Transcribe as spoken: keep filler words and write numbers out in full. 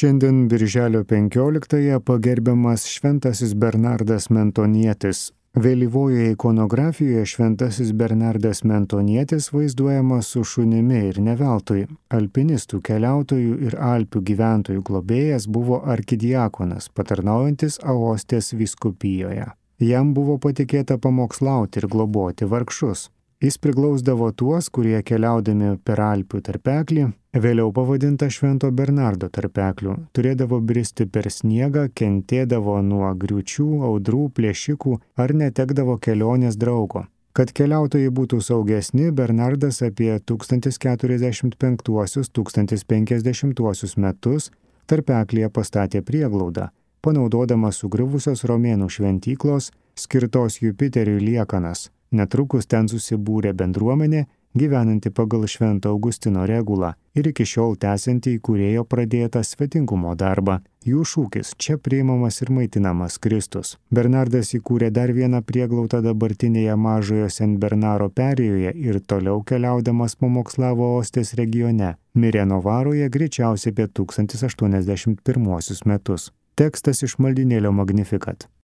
Šiandien birželio penkioliktąją pagerbiamas šventasis Bernardas Mentonietis. Vėlyvojoje ikonografijoje šventasis Bernardas Mentonietis vaizduojamas su šunimi ir ne veltui. Alpinistų, keliautojų ir Alpių gyventojų globėjas buvo arkidiakonas, patarnaujantis Aostės vyskupijoje. Jam buvo patikėta pamokslauti ir globoti vargšus. Jis priglausdavo tuos, kurie keliaudami per Alpių tarpeklį, vėliau pavadinta Švento Bernardo tarpekliu, turėdavo bristi per sniegą, kentėdavo nuo griūčių, audrų, plėšikų ar netekdavo kelionės draugo. Kad keliautojai būtų saugesni, Bernardas apie tūkstantis keturiasdešimt penktuosius - tūkstantis penkiasdešimtuosius metus tarpeklyje pastatė prieglaudą, panaudodamas sugriuvusios romėnų šventyklos skirtos Jupiteriui liekanas. Netrukus ten susibūrė bendruomenė, gyvenanti pagal Švento Augustino regulą ir iki šiol tęsianti įkūrėjo pradėtą svetingumo darbą. Jų šūkis - čia priimamas ir maitinamas Kristus. Bernardas įkūrė dar vieną prieglaudą dabartinėje Mažojo Sen Bernaro perėjoje ir toliau keliaudamas pamokslavo Ostės regione. Mirė Novaroje greičiausiai apie tūkstantis aštuoniasdešimt pirmuosius metus. Tekstas iš maldynėlio Magnificat.